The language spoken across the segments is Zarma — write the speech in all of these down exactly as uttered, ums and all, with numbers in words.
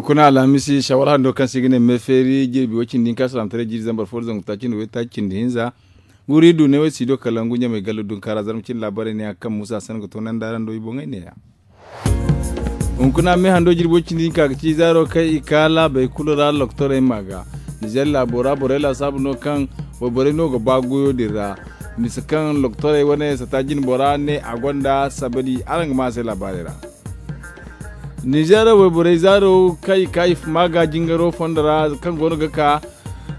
Kuna alhamisi shawal hando kaŋ se i ga ne meefeeri jirbi way cindi hinka salaamataray jiiri zambar fo da zangu taaci nda way taaci cindi hinza. Guuri du ne way siido kala ngu ɲamay gallo dunkaara zarma cindi laabaray ne a kaŋ muusa sanda ga toonandi araŋ do i boŋey ne-ya. Hunkuna meehando jirbo cindi hinka ga ci zaaro kaŋ i ka laabey kulu ra loktorey ma ga. Nizer laabo ra borey laasaabu no kaŋ wayborey no ga ba goyo din ra. Misa kaŋ loktorey wane sata jine bora ne a gonda sabari araŋ ga ma a se laabaarey ra. Nizer wayborey zaaro kaŋ i ka i ma ga jingaro fondo ra kaŋ goono ga ka.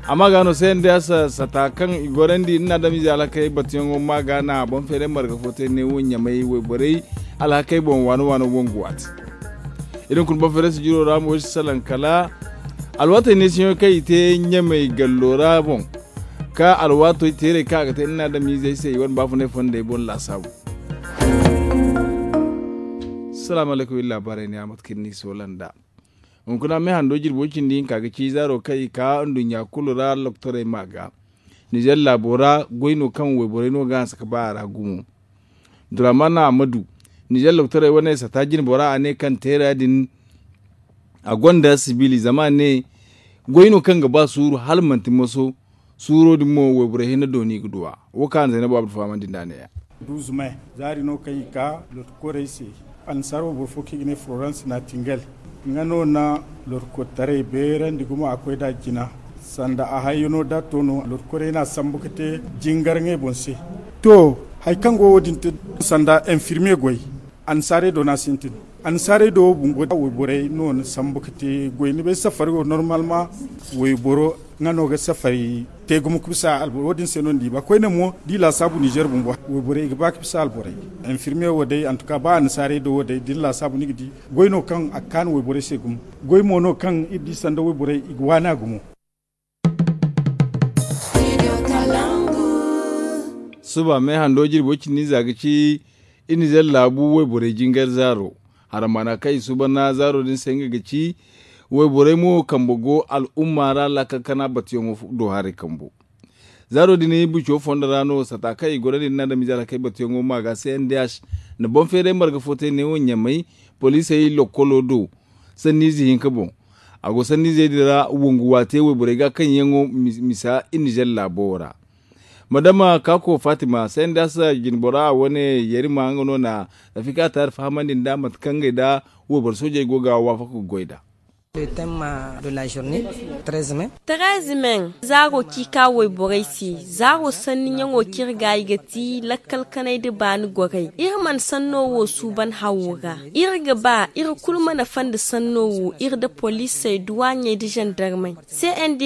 Amma ga no se nda sata kaŋ i gorandi nda adamize alhakey batuyaŋo ma ga na boŋ feeray marga fo te ne wo ɲamay wayborey alhakey boŋ waano waano boŋ ga waati. Irin kulu boŋ feeray sijiro ra mo si salaŋ kala alwaatey neesiyaŋo kaŋ i te ɲamay gallo ra boŋ ka alwaatey teerey kaŋ a ga te nda adamizey se i wane baafunay fondey boŋ laasaabu. Salaamu alaykum iri laabaarey ne a mate kaŋ ni soolanda. Hunkuna meehando jirbo cindi hinka ga ci zaaro kaŋ i ka nduɲɲa kulu ra loktorey ma ga. Nizer laabo ra goy no kaŋ wayborey no ga hanse ka ba a ra gumo. Duramana amadu nizer loktorey wane sata jine bora a ne kaŋ teera din a gonda sibili zama a ne goy no kaŋ ga ba suuru hala manti moso. Suuro din mo wayborey hinne dooni ga duwa. Wo kaŋ a na zaynabu abdu fahamandi nda a ne-ya. Duuzu me zaari no kaŋ i ka lorti korey se. Annasaara wayboro fo kaŋ i ga ne florence natingel nga no na lorti kortaray beerandi gumo a koy da jina. Sanda a hayyano da to no lorti korey no a sambu ga te jingar ngey boŋ se. To hari kaŋ go wo- din te sanda infirmiye goy. Annasaarey do no a sintin. Annasaarey do wo bumbo wayborey no ni sambu ga te goy ni bay safari wo normalma. Wayboro nga no ga safari te gumo ga bisa alborey wo- din se no ni di ba koyne mo da i laasaabu nizer bumbo wayborey i ga ba ga bisa alborey. Infirmiye wo day antuka ba annasaarey do wo day da ni laasaabu ni ga di goy no kaŋ a ga kaanu wayborey se gumo. Goy mo no kaŋ iri di sanda wayborey i ga waani a gumo. Suba meehando jirbi way cindi hinza ga ci iri nizer laabu wayborey jingar zaaro. Haramaana kaŋ i suba na zaaro din se nga ga ci wayborey mo kambe go al'umma ra laakal kana batuyaŋo do haray kambo. Zaaro din buco fondo ra no sata kaŋ i gorandi nda adamize alhakey batuyaŋo ma ga cndh na boŋ feeray marga fo te neewo ɲamay poliisey lokkolo do sanniize hinka boŋ. A go sanniizey din ra wongu waate wayborey ga kaŋ yaŋo misa iri nizer laabo wo ra. Madama kako fatima cndh jinbora wane yarima nga no na rafika taari fahamandi nda mate kaŋ ngey nda wayboro soojey go ga waafaka ga goy nd'a. Terez men zaaro kaŋ i ka wayborey se zaaro sanni ɲaŋo kaŋ iri ga i ga ti lakkal kanay nda baani gorey iri mana sanno wo suuban hawo ra. Iri ga ba iri kulu mana fanda sanno wo iri nda poliisey duwaaɲey nda zandarmey cndh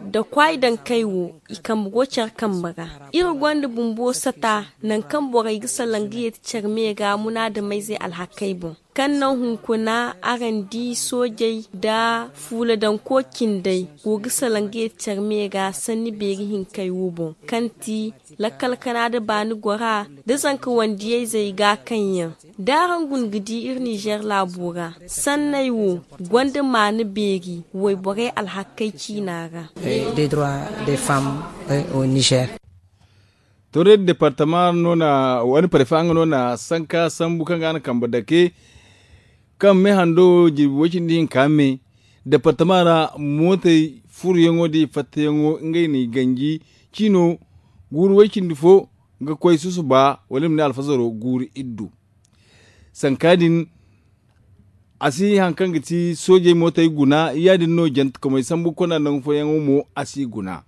nda kwaay dankey wo i kambe go care kambe ra. Iri gonda bumbo sata nangu kaŋ borey ga salaŋ ga yeeti care me ra munaadameyzey alhakey boŋ. Kaŋ naŋ hunkuna araŋ di soojey nda fuuladanko cindey go ga salaŋ ga yeeti care me ra sanni beeri hinkey wo boŋ kaŋ ti lakkal kana nda baani gora nda zanka wandiyayzey ga kaŋ yaŋ da araŋ guna ga di iri nizer laabo ra sanney wo gonda maana beeri wayborey alhakey ciina ra. Des droits des femmes au nizer. Toredi departama no na wani parefa nga no na sanka sambu kaŋ ga na kambe dake kaŋ me hando jirbi way cindi hinka me departama ra mootey furuyaŋo da i fattayaŋo ngey n'i ganji ciino guuru way cindi fo ga koy susuba wala i ma ne alfazaro guuru iddu. Sanka din a si haŋ kaŋ ga ti soojey mootey guna ya- din no jantekomey sambu konda nangu fooyaŋo mo a si guna.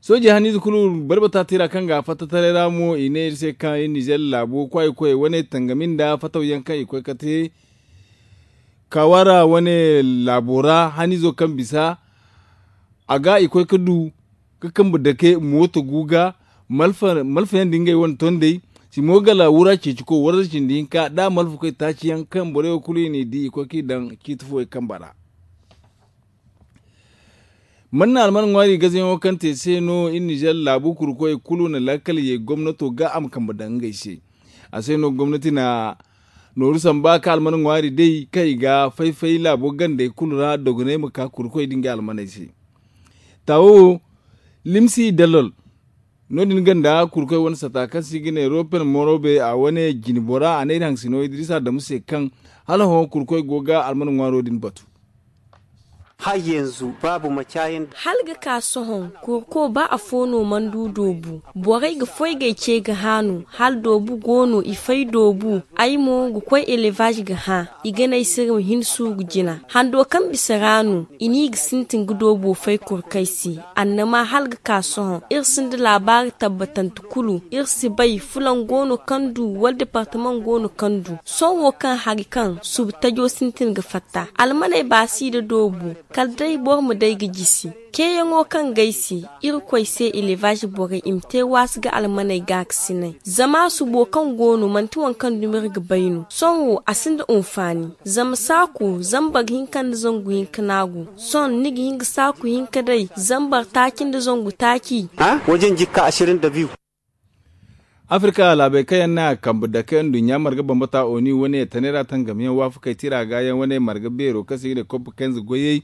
Soojey haniize kulu barbata tira kaŋ ga a fatta taray ra mo i ne iri se kaŋ iri nizer laabo kwaayi koyey wane tangami nda fatawyaŋ kaŋ i koy ga te kawaara wane laabo ra haniizo kaŋ bisa a ga i koy ga du ga kambe dake mooto gu ga malfayaŋ da ngey wane tondey si mo gala wura ceeciko warza cindi hinka da a malfa koy taaci yaŋ kaŋ borey wo kulu i n'i di i koy ga i daŋ ciiti fooyaŋ kambe ra. Man na alman ŋwaari gazayaŋo kaŋ te se no iri nizer laabu kurkoyey kulu na laakal ye gomnato ga a ma kambe daŋ ngey se. A se no gomnati na nooru samba ka alman ŋwaari day kaŋ i ga fay-fay laabo gandey kulu ra dogonay ma ka kurkoy da ngey almaney se. Taawo wo limsi dalol No- din ganda kurkoy wane sata kaŋ se i ga ne ropen morobe a wane jine bora a ne iri haŋ sino idrisa damu se kaŋ hala hõ kurkoy go ga almana ŋwaaro din batu. Hala ga ka sohõ, kurko ba afo no mana du doobu. Borey ga foy g'ay ce ga haanu hala doobu go no i fay doobu. Ay mo ga koy elevaz ga hã. I ga ne ay se iri ma hin suuru jina hando kaŋ bisa ra no i n'i ga sintin ga doobo fay kurkey se. Annama hala ga ka sohõ iri sinda laabaari tabbatante kulu. Iri si bay fulaŋ go no kaŋ du wala departamaŋ go no kaŋ du. Sohõ wo kaŋ hari kaŋ subu tajo sintin ga fatta almaney baasi nda doobu. Kala day boro ma day ga jisi ceeyaŋo kaŋ g'ay se. Irkoy se elevaz borey i ma te waasi ga almaney gaakasinay. Zama subo kaŋ go no manti waŋ kaŋ dumi iri ga bay no sohõ wo a sinda unfaani. Zama saaku zambar hinka nda zangu hinka no a go. Sohõ ni ga hin ga saaku hinka day zambar taaci nda zangu taaci. Wajen jikka asirin da biyu. Afirka laabey kaŋ yaŋ no a kambe dake nduɲɲa marga bambata oni wane tanay ra tangamyaŋ waafakey tira ga yaŋ wane marga beero kaŋ se i ga ne koppa kenze goyey.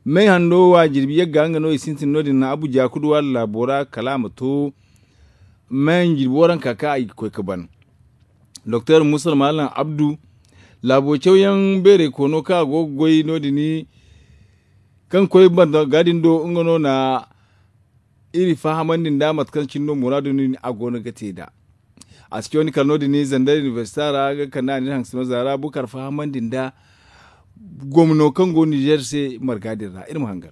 May hando wa jirbi yagga nga no i sintin no- din abuja kuduwa laabo ra kala a ma to. May jirbi waranka kaŋ a ga koy ga ban. Doktor musa malam abdu laabo cawyaŋ beerey koono kaŋ a go ga goy no- din kaŋ koy banda ga din do nga no na iri fahamandi nda mate kaŋ cine no muraadu no- din a go no ga te nd'a. A si caw ni kala no- din zanday inibersita ra ga kande a na iri haŋ sino zaara bukar fahamandi nda gomno kaŋ go nizer se marga din ra iri ma hangan.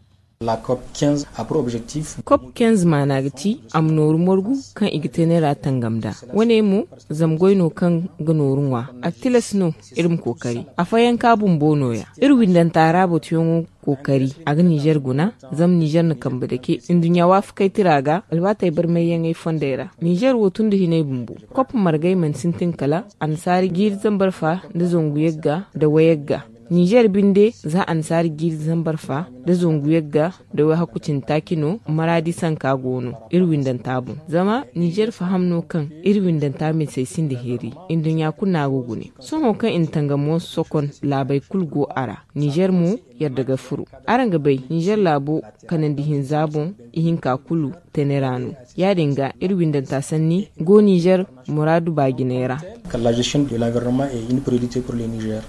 Kop kenz maana ga ti a ma nooru margu kaŋ i ga te neera tangam nd'a. Wane mo zama goy no kaŋ ga nooru ŋwa. A ga tilas no iri ma kookari afooyaŋ ka bumbo nooya. Iri windanta ra batuyaŋo kookari a ga nizer guna. Zama nizer na kambe dake nduɲɲa waafakey tira ga alwaatey barmayyaŋey fondey ra. Nizer wo tun nda hinay bumbo kop margey mana sintin kala annasaari jiiri zambar fa nda zangu yagga nda wayagga. Nizer binde za annasaari jiiri zambar fa nda zangu yagga nda wayhakku cine taaci no maraadi sanka go no iri windanta boŋ. Zama nizer faham no kaŋ iri windanta misey sinda heeri. Nduɲɲa kulu no a go gune sohõ kaŋ i na tangamo sokon laabey kulu go a ra. Nizer mo yadda ga furo. Araŋ ga bay nizer laabo kanandi hinza boŋ ihinka kulu tene ra no. Ya- din ga iri windanta sanni go nizer muraadu baajiney ra. Kala la gestion de l'environnement et une priorité pour le nizer.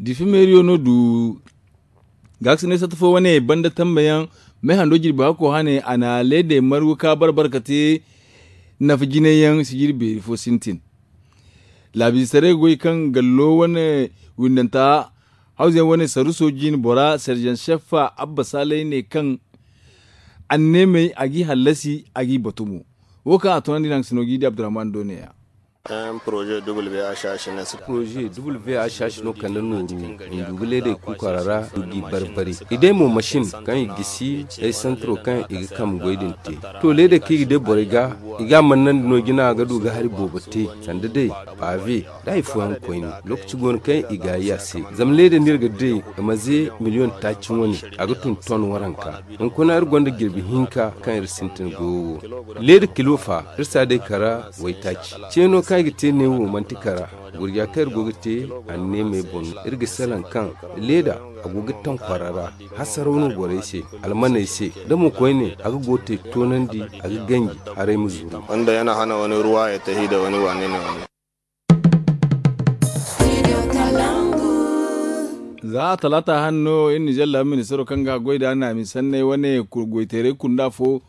Difi meeriyo no du gaakasinay satta fo wane banda tambayaŋ. May hando jirbi hakko hane a na leedey margu ka barbar ka te nafa jinayyaŋ sijiri beeri fo sintin. Laabiisaray goy kaŋ gallo wane windanta hawzayaŋ wane saruso jin bora serjan seffa abba saalay ne kaŋ anneemey a g'i hallasi a g'i batu mo. Wo kaŋ a tunandi naŋ sino g'i di abdurrahman do ne-ya. Poroze wh h h no kande nooru. Ndugu leedey kuukara ra du g'i bari-bari i day mo masin kaŋ i gisi day santaro kaŋ i ga kambe goy din te. To leedey kaŋ i ga day borey ga i ga a mannandi no jina ga du ga hari boobo te sanda day paabe da hari fooyaŋ koyne. Lookaci go no kaŋ i ga a yi a se zama leedey no iri ga day. Maze miliyon taaci wane a ga tun ton waranka. Hunkuna iri gonda jirbi hinka kaŋ iri sintin goyo wo. Leeda kilo fa iri si a day kara waytaaci. Ceeno kaŋ i ga te ne wo manti kara. Gurja kaŋ iri go ga te anneemey boŋ no iri ga salaŋ kaŋ leeda a go ga taŋ kwara ra. Hasaraw no borey se almaney se da mo koyne a ga go te toonandi a ga ganji haray ma zuru. Wanda yana hana wani ruwa ya tahi da wani wane ne wani. Za a talaata hanno iri nizer laabu ministaro kaŋ ga goy da naami sanney wane goyteeray kunda fo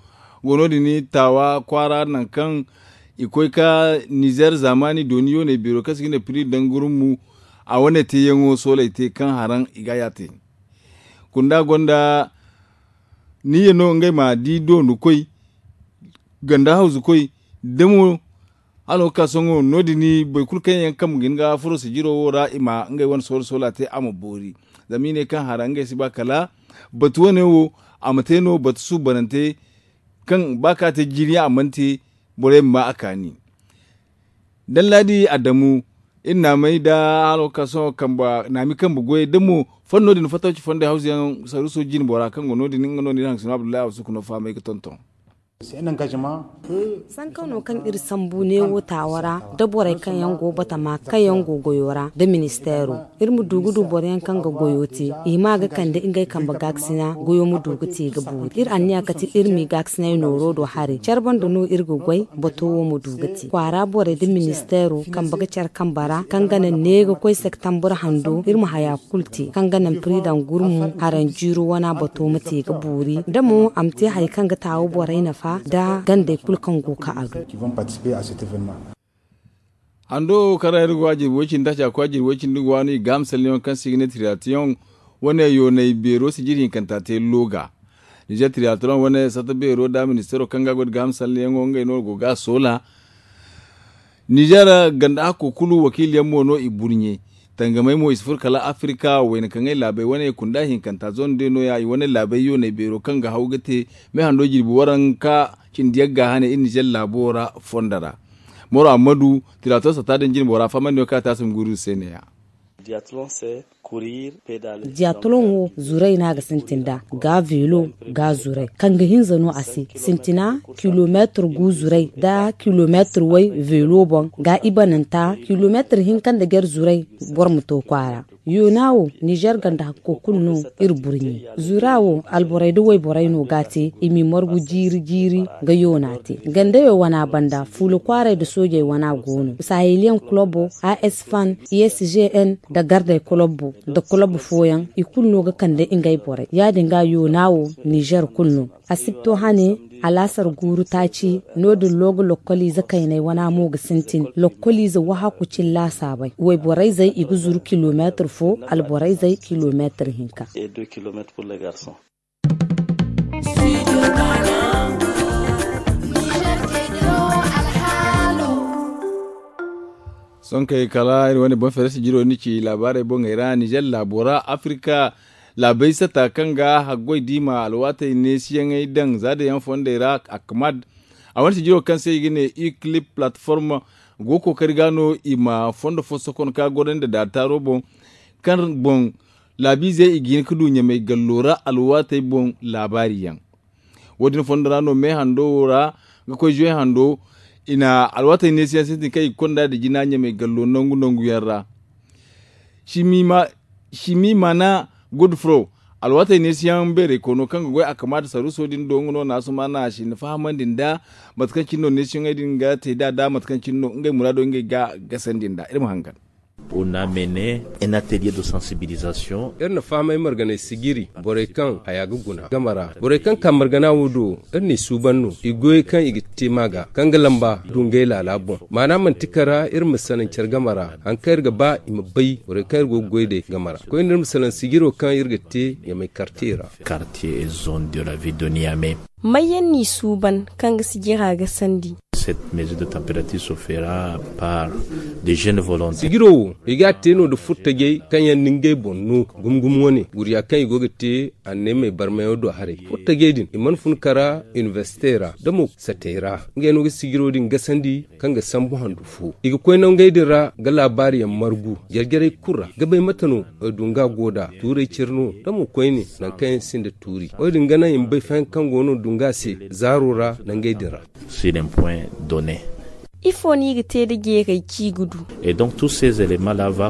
go no- din taawa kwaara nangu kaŋ i koy ka nizer zaamaani dooni yooney beero kaŋ se i ga ne piri dangurummu. A wane teeyaŋo sooley te kaŋ haraŋ i ga a yaate. Kunda gonda niyya no ngey ma di doonu koy ganda hawzu koy da mo hala wo ga ka sohõ no- din boro kulu kaŋ yaŋ kambe ga hin ga furo sijiro wo ra i ma ngey wane soola soola te a ma boori. Zama i ne kaŋ hara ngey si ba kala batu wane wo a ma te no batu suubanante kaŋ ba ka te jiiri a mana te borey ma ma a kaani. Dallaadi adamu iri naamay da hala wo ga ka sohõ naami kambe goyey da mo fanno din fatawci fondey hawzu yaŋ saruuso jine bora kaŋ go no- din nga no na iri haŋ sino abdullahi a ma suku no fahamay ga tonton. Sanka no kaŋ iri sambu neewo taawo ra, da borey kaŋ yaŋ go batama kaŋ yaŋ go goyo ra da ministeero. Iri ma du ga du boro yaŋ kaŋ ga goyo te, i hima ga kande ngey kambe gaakasina goyo ma du ga te ga boori. Iri anniya kate iri m'i gaakasinay nooro do haray care banda no iri ga goy. Bato wo ma du ga te kwaara borey da ministeero kambe ga care kambe ra kaŋ ga naŋ ne ga koy septambur hando iri ma haya kulu te kaŋ ga naŋ piridaŋ gurmu haranjiiro wana bato ma te ga boori da mo a ma te hari kaŋ ga taawo borey nafa da gandey kulu kaŋ go ka a du. Hando kaŋ ra iri go a jirbi way cindi taaci a koy a jirbi way cindi ga waanu i ga hamsalliyaŋo kaŋ se i ga ne tiriyatiyoŋ wane yoonay beero sijiri hinkanta te looga. Nizer tiriyatiyoŋ wane satta beero nda ministeero kaŋ ga a goy nda ga hamsalliyaŋo ngey no go ga a soola. Nizer ganda hakko kulu wakiiliyaŋ mo no i burɲe tangamey mo i si furo kala afirka wayna kaŋ ay laabey wane kunda hinkanta zone de nooya i wane laabey yoonay beero kaŋ ga haw ga te me hando jirbi waranka cindi yagga hane iri nizer laabo ra fondo ra. Moro ammadu tirato satta din jine bora fahamandi no kaŋ a te a si ma guru se neeya. Diyatoloŋ wo zuray no a ga sintin nd'a ga veelo ga zuray kaŋ ga hinza no a se sintina kilomeetir gu zuray nda kilomeetir way veelo boŋ ga ibananta kilomeetir hinka nda jar zuray. Boro ma to kwaara yoona wo nizer ganda hakko kulu no. Iri burɲe zura wo alborey nda wayborey no ga a te i m'i margu jiiri jiiri ga yoona te gandeyo wana banda fuula kwaaray nda soojey wana go no saheliyaŋ kolobo a s fan i s g n nda gardey kolobo nda kolobo fooyaŋ i kulu no ga kande ngey borey ya- din ga yoona wo nizer kulu no. Asibto hane alaasar guuru taaci no- din looga lokkoliize kayney wana mo ga sintin lokkoliize wahakku cin laasaabey wayborey zey i ga zuru kilomeetir fo alborey zey kilomeetir hinka. Sonkey kala iri wane boŋ feere sijiro ni ci laabaarey boŋey ra nizer laabo ra afirka laabey sata kaŋ ga haggoy diima alwaatey neesiyaŋey daŋ za da yaŋ fondey ra. Akmad a wane sijiro kaŋ se i ga ne eclip platform go kookari ga no i ma fondo fo sokon ka gorandi da daataaro boŋ kaŋ boŋ laabiizey i ga hin ga du ɲamey gallo ra alwaatey boŋ laabaari yaŋ. Wo- din fondo ra no me hando wo ra ga koy zuwe hando i na alwaatey neesiyaŋ sintin kaŋ i ga konda nda jina ɲamey gallo nangu nangu yaŋ ra. Simi mana godfro alwaatey neesiyaŋ beeray koono kaŋ ga goy a kamaata saruuso din do nga no naasuma na a si ni fahamandi nda mate kaŋ cine no neesiyaŋey din ga te nd'a nda mate kaŋ cine no ngey muraado ngey ga gasandi nd'a iri ma hangan. Iri na fahamay marganay sijiri borey kaŋ haya ga guna game ra borey kaŋ ka margana wo do iri n'i suuban no i goyey kaŋ i ga te ma ga kaŋ ga lamba du ngey laala boŋ maana manti kara iri ma salaŋ care game ra hari kaŋ iri ga ba i ma bay borey kaŋ iri go ga goy day game ra koyne iri ma salaŋ sijiro kaŋ iri ga te ɲamay kartiye ra. May yaŋ n'i suuban kaŋ ga sijira ga sandi? Sijiro wo i ga a te no nda furtajey kaŋ yaŋ na ngey boŋ no gumo gumo wane gurya kaŋ i go ga te anneemey barmayaŋo do haray furtajey din i mana fun kara inibersite ra da mo satey ra ngey no ga sijiro din gasandi kaŋ ga sambu handu fo i ga koy nangey din ra ga laabaari yaŋ margu jare jarey kulu ra ga bay mate no dunga go nd'a tuuray cire no da mo koyne nangu kaŋ yaŋ sinda tuuri wo- din ga naŋ i ma bay fayaŋ kaŋ go no dunga se zaaro ra nangey din ra. Ifo no i ga te nda jeeray kaŋ i ga du?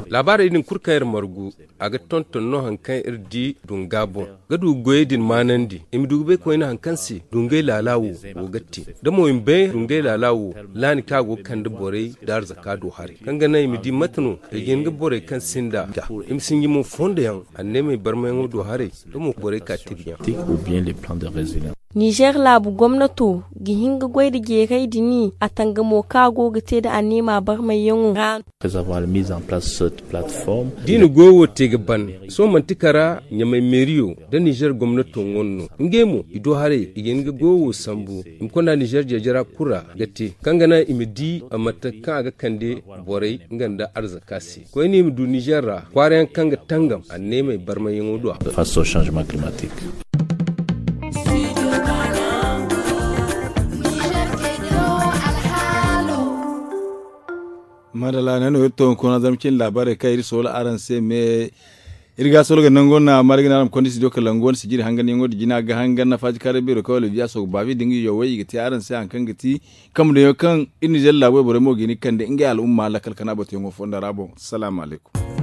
Laabaarey din kulu kaŋ iri margu a ga tonton no hari kaŋ iri di dunga boŋ ga du goyey din maanandi i ma du ga bay koyne hari kaŋ se dungay laala wo go ga te da mo i ma bay dungay laala wo laani kaŋ a go ga kande borey nda arzaka do haray kaŋ ga naŋ i ma di mate no i ga hin ga borey kaŋ sinda ga i ma sinji mo fondo yaŋ anneemey barmayaŋo do haray da mo borey ka tibiyaŋ. Nizer laabu gomnato ga hin ga goy nda jeeray din a tangamo kaŋ a go ga te nda anneema barmayyaŋo ra no. Da i na goyo wo te ga ban sohõ manti kara ɲamay meeriyo nda nizer gomnato ŋwa no ngey mo i do haray i ga hin ga goyo wo sambu i ma konda nizer jeejara kulu ra ga te kaŋ ga naŋ i ma di mate kaŋ a ga kande borey nga nda arzaka se koyne i ma du nizer ra kwaara yaŋ kaŋ ga tangam anneemey barmayyaŋo do a. Madalla ne no iri to hunkuna zama cin laabaarey kaŋ iri soola araŋ se me. Iri ga solo ga nango na maari ga ne araŋ ma konda studio kala nango wane sijiri hanganyaŋo da jina ga hangan na faaji kaaray beero kaŋ wala biya soogu baabi da nga yawey i ga te araŋ se hari kaŋ ga ti kambe daŋyaŋ kaŋ iri na jalla laabo borey mo ga hin ga kande ngey al'umma lakkal kana batuyaŋo fonda ra boŋ salaamu alaykum.